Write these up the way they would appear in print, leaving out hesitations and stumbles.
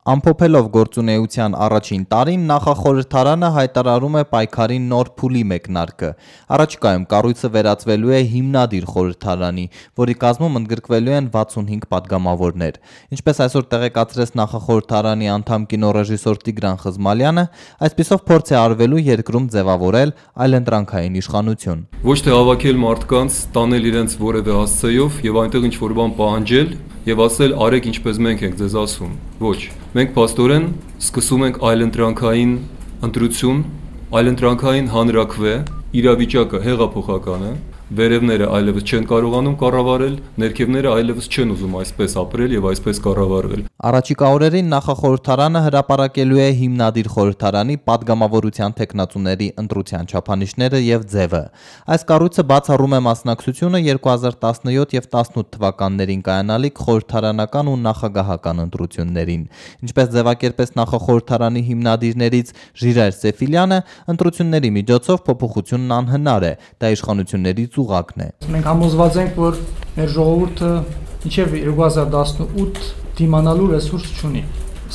Ամփոփելով գործունեության առաջին տարին, նախախորհրդարանը հայտարարում է պայքարի նոր փուլի մեկնարկը։ Առաջիկայում կառույցը վերածվելու է հիմնադիր խորհրդարանի, որի կազմում ընդգրկվելու են 65 падգամավորներ։ Ինչպես այսօր տեղեկացրեց նախախորհրդարանի անդամ կինոռեժիսոր Տիգրան Խզմալյանը, այսպիսով փորձ է արվելու երկրում ձևավորել այլընտրանքային իշխանություն։ Ոչ թե հավաքել մարդկանց, տանել իրենց որևէ հասցեով եւ այնտեղ ինչ-որ բան պահանջել եւ ասել արեք ինչպես մենք ենք ձեզ ասում։ Ոչ, մենք փաստորեն սկսում ենք այլընտրանքային ընտրություն, այլընտրանքային հանրաքվե, իրավիճակը հեղափոխական է, վերևները այլևս չեն կարողանում կառավարել, ներքևները այլևս չեն ուզում այսպես ապրել եւ այսպես կառավարվել։ Առաջիկա օրերին նախախորհրդարանը հրապարակելու է հիմնադիր խորհրդարանի падգամավորության թեկնածուների ընտրության չափանիշները եւ ձևը։ Այս կառույցը բացառում է մասնակցությունը 2017 եւ 18 թվականներին կայանալիք խորհրդարանական ու նախագահական ընտրություններին։ Ինչպես ձևակերպեց նախախորհրդարանի հիմնադիրներից Ժիրայր Սեֆիլյանը, ընտրությունների միջոցով փոփոխությունն անհնար է, դա իշխանությունների ուղղակն է։ Մենք համոզված ենք, որ մեր ժողովուրդը մինչև 2018 դիմանալու ռեսուրս չունի,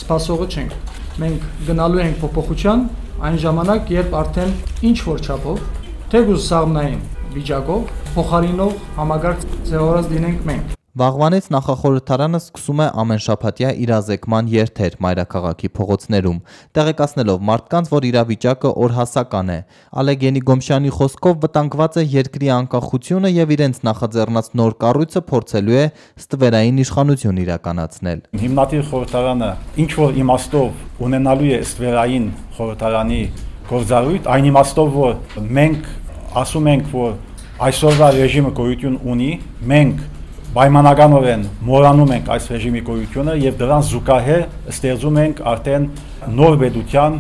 սպասողը չենք, մենք գնալու ենք փոփոխության այն ժամանակ, երբ արդեն ինչ-որ չափով, թեկուզ սաղմնային վիճակով, փոխարինող համագարկ ձևավորած լինենք մենք։ Վաղվանից նախախորհրդարանը սկսում է ամենշաբաթյա իրազեկման երթեր մայրաքաղաքի փողոցներում, տեղեկացնելով մարդկանց, որ իրավիճակը օրհասական է։ Ալեգենի Գոմշյանի խոսքով վտանգված է երկրի անկախությունը եւ իրենց նախաձեռնած նոր կառույցը փորձելու է ստվերային իշխանություն իրականացնել։ Հիմնադիր խորհրդարանը ինչ որ իմաստով ունենալու է ստվերային խորհրդարանի գործառույթ, այն իմաստով, որ մենք ասում ենք, որ այսօրվա ռեժիմը գոյություն ունի, մենք պայմանականորեն մոռանում ենք այս ռեժիմի գոյությունը եւ դրան զուգահեռ ստեղծում ենք արդեն նոր պետության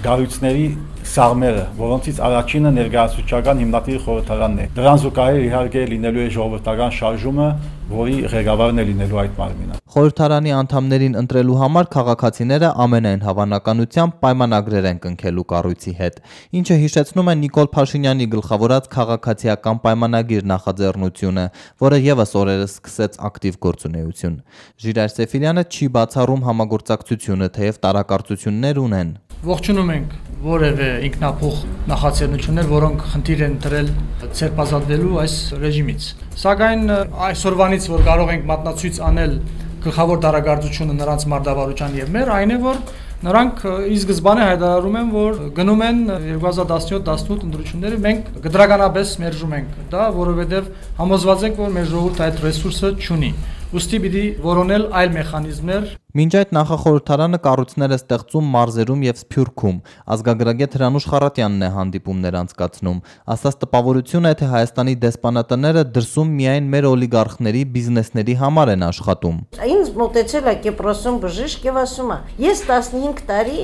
գառույցների սաղմերը, որոնցից առաջինը ներկայացուցչական հիմնադիր խորհրդարանն է։ Դրան զուգահեռ իհարկե լինելու է ժողովրդական շարժումը, որի ղեկավարն է լինելու այդ մարմինը։ Խորհրդարանի անդամներին ընտրելու համար քաղաքացիները ամենայն հավանականությամբ պայմանագրեր են կնքելու կառույցի հետ, ինչը հիշեցնում է Նիկոլ Փաշինյանի գլխավորած քաղաքացիական պայմանագիր նախաձեռնությունը, որը եւս օրերս սկսեց ակտիվ գործունեություն։ Ժիրայր Սեֆիլյանը չի բացառում համագործակցությունը, թեև տարակարծություններ ունեն։ Ողջունում ենք որևէ ինքնափոխ նախաձեռնություններ, որոնք խնդիր են դրել ցերպազատվելու այս ռեժիմից։ Սակայն այսօրվանից, որ կարող ենք մատնացույց անել գլխավոր դարակարծությունը նրանց մարտավարության եւ մեր, այն է, որ նրանք ի սկզբանե հայտարարում են, որ գնում են 2017-18 ընտրությունները, մենք գդրականապես մերժում ենք դա, որովհետեւ համոզված ենք, որ մեր ժողովուրդը այդ ռեսուրսը չունի։ Ուստի պիտի որոնել այլ մեխանիզմներ։ Մինչ այդ նախախորհրդարանը կառույցներ է ստեղծում մարզերում եւ Սփյուռքում։ Ազգագրագետ Հրանուշ Խառատյանն է հանդիպումներ անցկացնում։ Ասած տպավորություն է, թե Հայաստանի դեսպանատները դրսում միայն մեր օլիգարխների բիզնեսների համար են աշխատում։ Ինձ մոտեցել է Կիպրոսում բժիշկ եւ ասում է. «Ես 15 տարի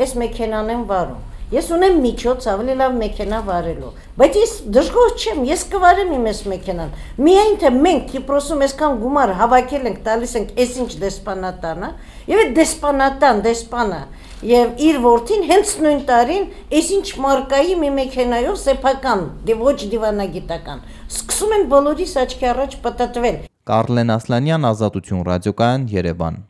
այս մեքենան եմ վարում։ Ես ունեմ միջոց ավելի լավ մեքենա վարելու, բայց ես դժգոհ չեմ, ես կվարեմ իմ այս մեքենան։ Միայն թե մենք Կիպրոսում այսքան գումար հավաքել ենք, տալիս ենք այսինչ դեսպանատանը, եւ այդ դեսպանը եւ իր որդին հենց նույն տարին այսինչ մարկայի մի մեքենայով սեփական, ոչ դիվանագիտական, սկսում են բոլորիս աչքի առաջ պտտվել»։ Կարլեն Ասլանյան, Ազատություն ռադիոկայան, Երևան։